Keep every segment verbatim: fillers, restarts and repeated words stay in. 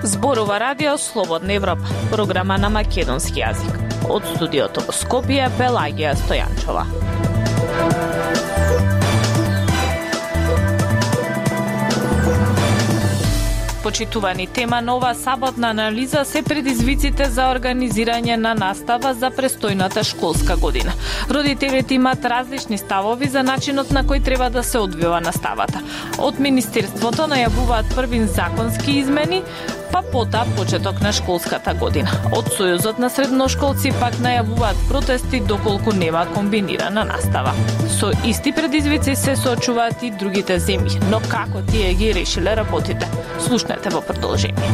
Зборува Радио Слободна Европа, програма на македонски јазик. Од студиото во Скопје, Пелагија Стојанчова. Почитувани, тема на оваа саботна анализа се предизвиците за организирање на настава за престојната школска година. Родителите имаат различни ставови за начинот на кој треба да се одвива наставата. Од Министерството најавуваат првин законски измени, па потоа почеток на школската година. Од Сојузот на средношколци пак најавуваат протести доколку нема комбинирана настава. Со исти предизвици се соочуваат и другите земји, но како тие ги решиле работите? Слушнете во продолжение.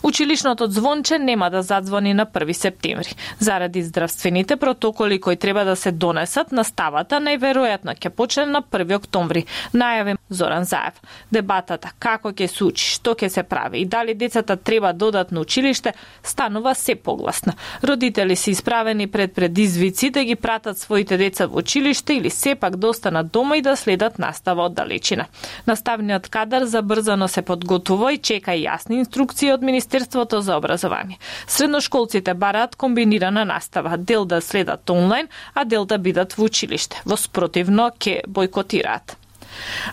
Училишното звонче нема да задзвони на први септември. Заради здравствените протоколи кои треба да се донесат, наставата најверојатно ќе почне на први октомври, најави Зоран Заев. Дебатата како ќе се учи, што ќе се прави и дали децата треба да одат на училиште станува се погласна. Родители се исправени пред предизвици да ги пратат своите деца во училиште или сепак да останат дома и да следат настава од далечина. Наставниот кадар забрзано се подготвува и чека јасни инструкции од Министерството за образование. Средношколците бараат комбинирана настава, дел да следат онлайн, а дел да бидат во училиште. Во спротивно ќе бойкотираат.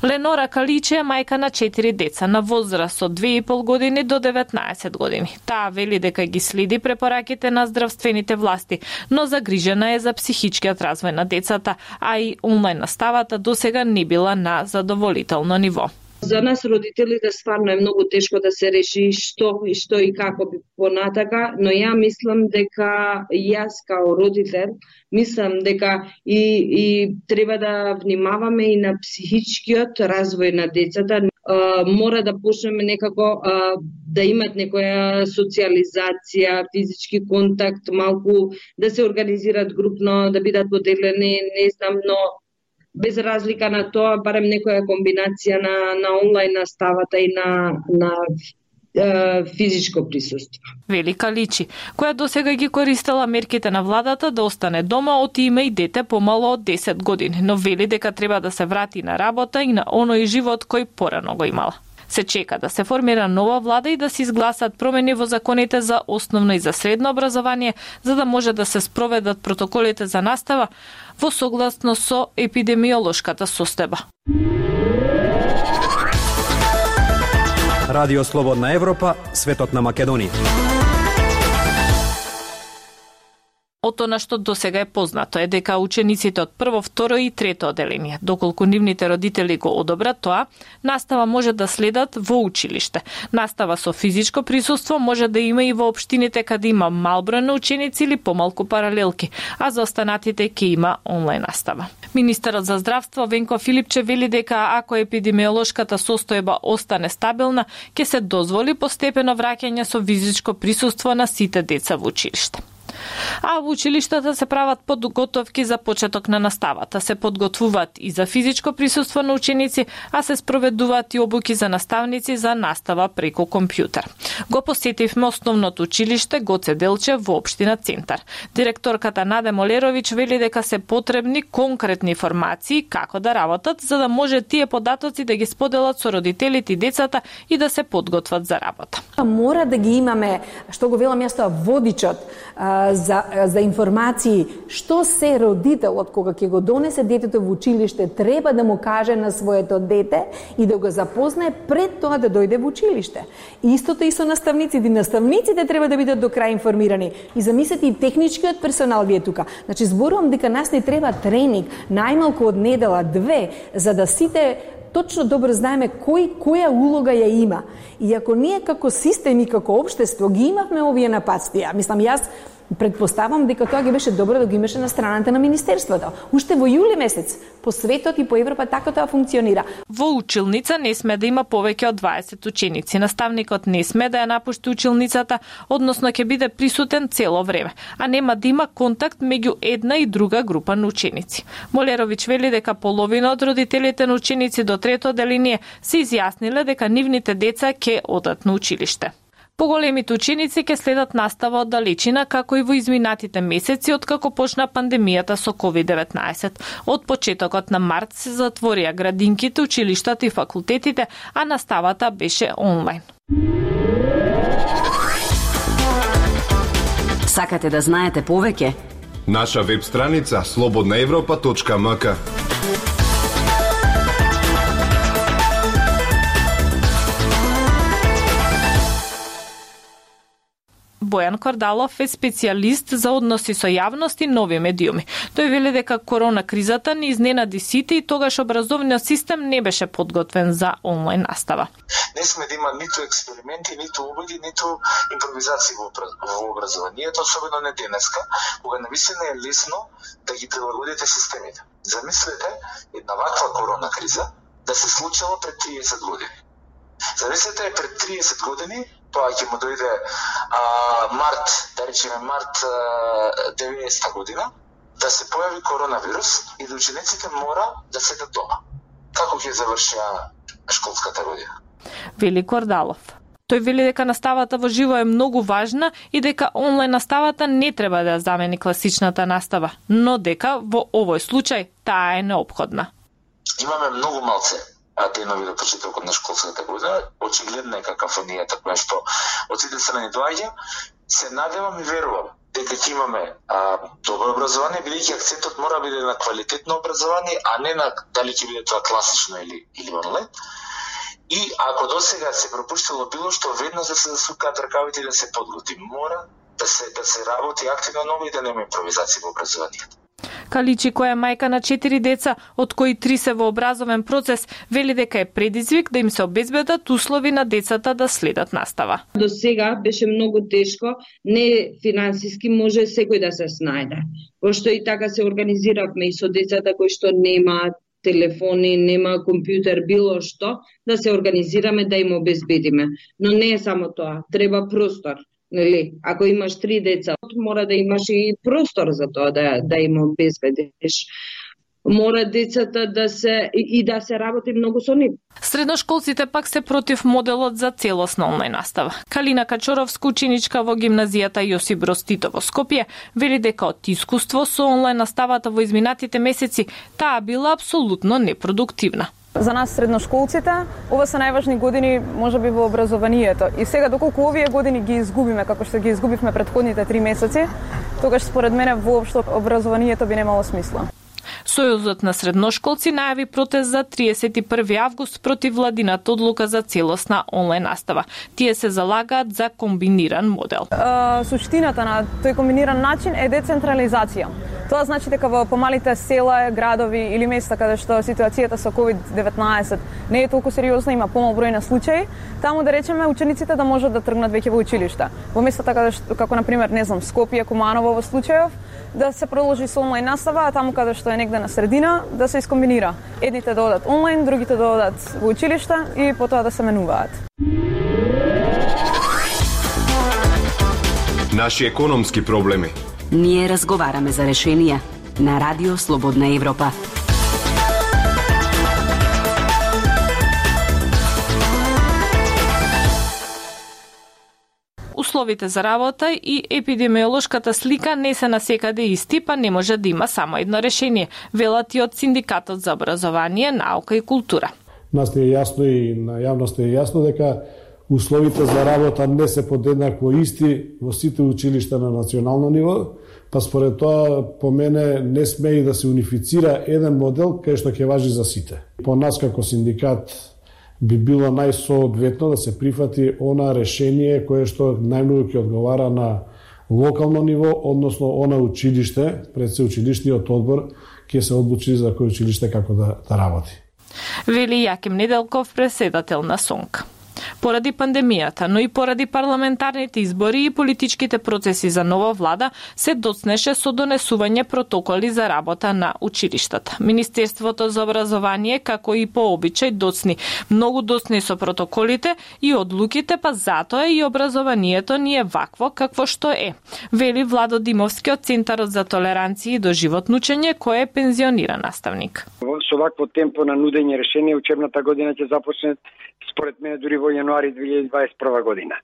Ленора Каличе е мајка на четири деца на возраст од две и пол години до деветнаесет години. Таа вели дека ги следи препораките на здравствените власти, но загрижена е за психичкиот развој на децата, а и онлайн наставата досега не била на задоволително ниво. За нас родителите стварно е многу тешко да се реши што и што и како би понатака, но ја мислам дека јас као родител мислам дека и и треба да внимаваме и на психичкиот развој на децата. Uh, мора да почнеме некако uh, да имат некоја социализација, физички контакт, малку да се организираат групно, да бидат поделени, не знам, но без разлика на тоа, барем некоја комбинација на, на онлайн наставата и на, на е, физичко присуство. Велика Личи, која досега ги користела мерките на владата да остане дома, од има и дете помало од десет години, но вели дека треба да се врати на работа и на оној живот кој порано го имала. Се чека да се формира нова влада и да се изгласат промени во законите за основно и за средно образование, за да може да се спроведат протоколите за настава во согласно со епидемиолошката состојба. Радио Слободна Европа, светот на Македонија. Од она што досега е познато е дека учениците од прво, второ и трето оделение, доколку нивните родители го одобрат тоа, настава може да следат во училиште. Настава со физичко присуство може да има и во општините каде има мал број на ученици или помалку паралелки, а за останатите ќе има онлайн настава. Министерот за здравство Венко Филипче вели дека ако епидемиолошката состојба остане стабилна, ќе се дозволи постепено враќање со физичко присуство на сите деца во училиште. А во училиштата се прават подготовки за почеток на наставата, се подготвуваат и за физичко присуство на ученици, а се спроведуваат и обуки за наставници за настава преку компјутер. Го посетивме основното училиште Гоце Делчев во општина Центар. Директорката Наде Молеровиќ вели дека се потребни конкретни информации како да работат, за да може тие податоци да ги споделат со родителите и децата и да се подготват за работа. Мора да ги имаме, што го велам јас тоа, водичот за, за информации, што се родителот кога ќе го донесе детето во училиште треба да му каже на своето дете и да го запознае пред тоа да дојде во училиште. Истото и со наставниците. Наставниците треба да бидат до крај информирани. И замислете и техничкиот персонал вие тука. Значи, зборувам дека нас не треба тренинг, најмалку од недела две, за да сите точно добро знаеме кој која улога ја има. И ако ние како систем и како општество ги имавме овие нападствија, мислам јас предпоставам дека тоа ги беше добро да ги имаше на страната на Министерството. Уште во јули месец, по светот и по Европа така тоа функционира. Во училница не сме да има повеќе од дваесет ученици. Наставникот не сме да ја напушти училницата, односно ќе биде присутен цело време, а нема да има контакт меѓу една и друга група на ученици. Молеровиќ вели дека половина од родителите на ученици до трето оделение се изјасниле дека нивните деца ќе одат на училиште. Поголемите ученици ќе следат настава од далечина како и во изминатите месеци откако почна пандемијата со ковид деветнаесет. Од почетокот на март се затворија градинките, училиштата и факултетите, а наставата беше онлайн. Сакате да знаете повеќе? Наша веб страница слободна европа точка ем ка. Бојан Кордалов е специјалист за односи со јавност и нови медиуми. Тој вели дека корона кризата не изненади сите и тогаш образовниот систем не беше подготвен за онлайн настава. Не сме да има ниту експерименти, ниту убеди, ниту импровизации во образованието, особено не денеска, кога навистина е лесно да ги прилагодите системите. Замислете една ваква корона криза да се случила пред триесет години. Замислете пред триесет години, тоа ќе му дојде а, март, да речеме март а, деветдесета година, да се појави коронавирус и да учениците мора да седат дома. Како ќе завршија школската година? Вели Кордалов. Тој вели дека наставата во живо е многу важна и дека онлайн наставата не треба да замени класичната настава, но дека во овој случај таа е неопходна. Имаме многу малце денови до почетокот на школската година. Очигледна е какафонијата која што од сите страни доаѓа. Се надевам и верувам дека ќе имаме а, добро образование, бидејќи акцентот мора да биде на квалитетно образование, а не на дали ќе биде тоа класично или или онлайн. И ако досега се пропуштило било што, веднаш да се засукаат ракавите и да се подготви. Мора да се да се работи активно ново и да нема импровизација во образованието. Каличи, која е мајка на четири деца, од кои три се во образовен процес, вели дека е предизвик да им се обезбедат услови на децата да следат настава. До сега беше многу тешко, не финансиски може секој да се снајде. Пошто и така се организиравме и со децата кои што немаат телефони, нема компјутер, било што, да се организираме да им обезбедиме. Но не е само тоа, треба простор. Нели, ако имаш три деца, мора да имаш и простор за тоа да да им обезбедиш. Мора децата да се и да се работи многу со нив. Средношколците пак се против моделот за целосна онлайн настава. Калина Качоровска, ученичка во гимназијата Јосип Броз Тито во Скопје, вели дека од искуство со онлайн наставата во изминатите месеци таа била апсолутно непродуктивна. За нас средношколците, ова се најважни години можеби во образованието. И сега доколку овие години ги изгубиме како што ги изгубивме претходните три месеци, тогаш според мене воопшто образованието би немало смисла. Сојузот на средношколци најави протест за триесет и први август против владината одлука за целосна онлайн настава. Тие се залагаат за комбиниран модел. Uh, суштината на тој комбиниран начин е децентрализација. Тоа значи дека во помалите села, градови или места каде што ситуацијата со ковид деветнаесет не е толку сериозна, има помал број на случаи, таму да речеме учениците да можат да тргнат веќе во училишта. Во местата каде што, како на пример, не знам, Скопје, Куманово во случајов, да се продолжи со онлайн настава, а таму каде што е негде на средина да се искомбинира. Едните да одат онлайн, другите да одат во училишта и потоа да се менуваат. Наши економски проблеми. Ние разговараме за решенија на Радио Слободна Европа. Условите за работа и епидемиолошката слика не се насекаде исти, па не може да има само едно решение, велат и од Синдикатот за образование, наука и култура. Нас е јасно и на јавноста е јасно дека условите за работа не се подеднакво исти во сите училишта на национално ниво, па според тоа по мене не сме и да се унифицира еден модел кај што ќе важи за сите. По нас како синдикат би било најсоодветно да се прифати она решение кое што најмногу ќе одговара на локално ниво, односно она училиште, пред се училишниот одбор ќе се одлучи за кој училиште како да, да работи. Вели Јаким Неделков, председател на СОНК. Поради пандемијата, но и поради парламентарните избори и политичките процеси за нова влада, се доцнеше со донесување протоколи за работа на училиштата. Министерството за образование, како и по обичај, доцни многу доцни со протоколите и одлуките, па затоа и образованието ни е вакво какво што е. Вели Владо Димовски од Центарот за толеранција и доживотно учење, кој е пензиониран наставник. Со вакво темпо на нудење решение, учебната година ќе започне според мене дури во јануари две илјади дваесет и прва година.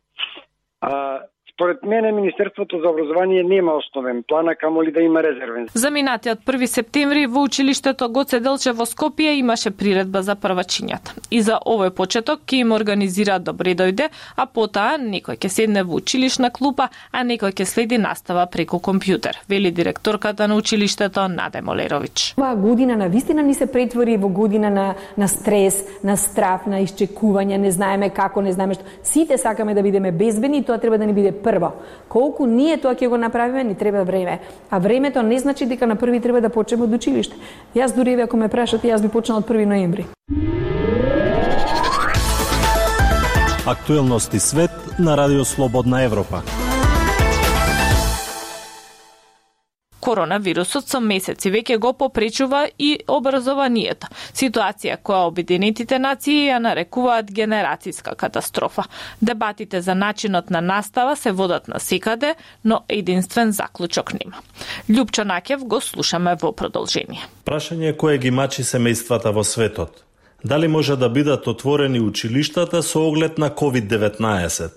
А според мене Министерството за образование нема основен план, а камоли да има резервен. За минатиот први септември во училиштето Гоце Делчев во Скопје имаше приредба за првачињата. И за овој почеток ќе им организираат добре дојде, а потоа некој ќе седне во училишна клупа, а некој ќе следи настава преку компјутер, вели директорката на училиштето Наде Молерович. Оваа година на вистина ни се претвори во година на на стрес, на страф, на исчекување, не знаеме како, не знаеме што. Сите сакаме да бидеме безбедни, тоа треба да ни биде прво. Колку ние тоа ќе го направиме, ни треба време. А времето не значи дека на први треба да почнеме од училиште. Јас дури ако ме прашате, јас би почнала од први ноември. Актуелности свет на Радио Слободна Европа. Коронавирусот со месеци веќе го попречува и образованието. Ситуација која Обединетите нации ја нарекуваат генерацијска катастрофа. Дебатите за начинот на настава се водат насекаде, но единствен заклучок нема. Љупчо Накев го слушаме во продолжение. Прашање кое ги мачи семејствата во светот. Дали може да бидат отворени училиштата со оглед на ковид деветнаесет?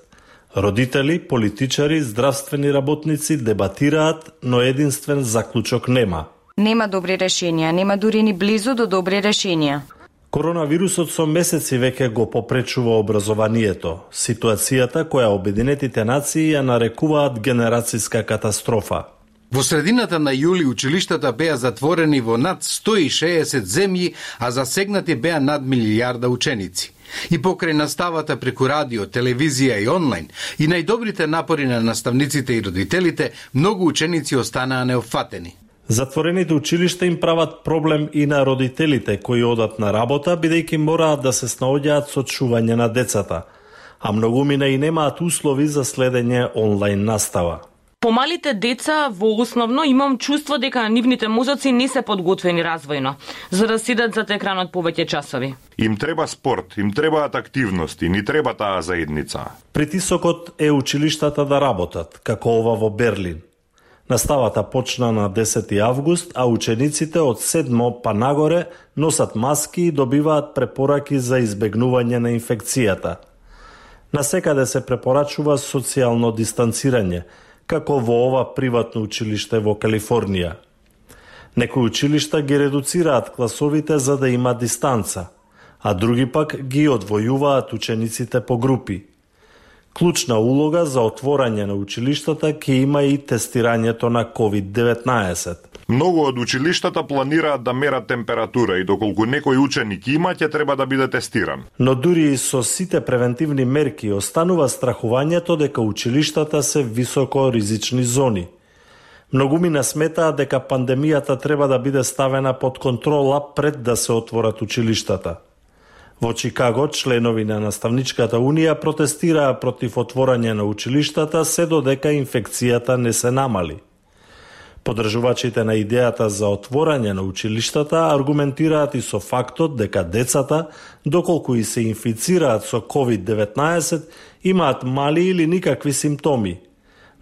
Родители, политичари, здравствени работници дебатираат, но единствен заклучок нема. Нема добри решенија, нема дури ни близу до добри решенија. Коронавирусот со месеци веќе го попречува образованието, ситуацијата која Обединетите нации ја нарекуваат генерацијска катастрофа. Во средината на јули училиштата беа затворени во над сто и шеесет земји, а засегнати беа над милијарда ученици. И покрај наставата преку радио, телевизија и онлайн, и најдобрите напори на наставниците и родителите, многу ученици останаа неофатени. Затворените училишта им прават проблем и на родителите кои одат на работа, бидејќи мораат да се снаоѓаат со чување на децата, а многумина и немаат услови за следење онлайн настава. Помалите деца во основно имам чувство дека нивните мозоци не се подготвени развојно за да седат за екранот повеќе часови. Им треба спорт, им требаат активности, ни треба таа заедница. Притисокот е училиштата да работат, како ова во Берлин. Наставата почна на десети август, а учениците од седмо па нагоре носат маски и добиваат препораки за избегнување на инфекцијата. Насекаде се препорачува социјално дистанцирање, како во ова приватно училиште во Калифорнија. Некои училишта ги редуцираат класовите за да има дистанца, а други пак ги одвојуваат учениците по групи. Клучна улога за отворање на училиштата ќе има и тестирањето на ковид деветнаесет. Многу од училиштата планираат да мерат температура и доколку некој ученик има, ќе треба да биде тестиран. Но дури и со сите превентивни мерки останува страхувањето дека училиштата се високо ризични зони. Многумина сметаат дека пандемијата треба да биде ставена под контрола пред да се отворат училиштата. Во Чикаго, членови на Наставничката унија протестираа против отворање на училиштата се додека инфекцијата не се намали. Подржувачите на идејата за отворање на училиштата аргументираат и со фактот дека децата, доколку и се инфицираат со ковид деветнаесет, имаат мали или никакви симптоми.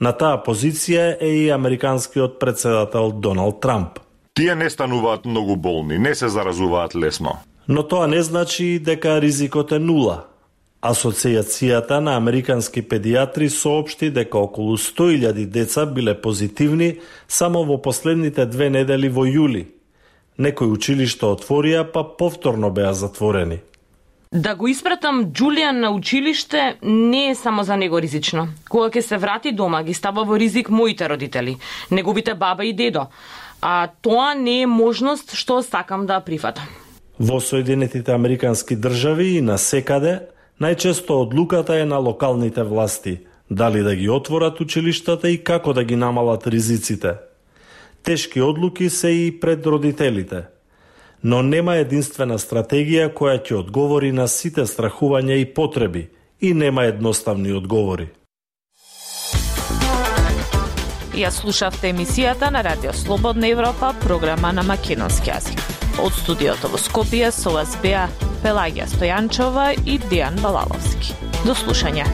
На таа позиција е и американскиот претседател Доналд Трамп. Тие не стануваат многу болни, не се заразуваат лесно. Но тоа не значи дека ризикот е нула. Асоцијацијата на американски педиатри соопшти дека околу сто илјади деца биле позитивни само во последните две недели во јули. Некои училишта отворија, па повторно беа затворени. Да го испратам Џулијан на училиште не е само за него ризично. Кога ќе се врати дома, ги става во ризик моите родители, неговите баба и дедо. А тоа не е можност што сакам да прифатам. Во Соединетите американски држави и на секаде, најчесто одлуката е на локалните власти, дали да ги отворат училиштата и како да ги намалат ризиците. Тешки одлуки се и пред родителите, но нема единствена стратегија која ќе одговори на сите страхувања и потреби и нема едноставни одговори. Ја слушавте емисијата на Радио Слободна Европа, програма на македонски јазик. Од студиото во Скопје со вас беа Пелагија Стојанчова и Дијан Балаловски. До слушање.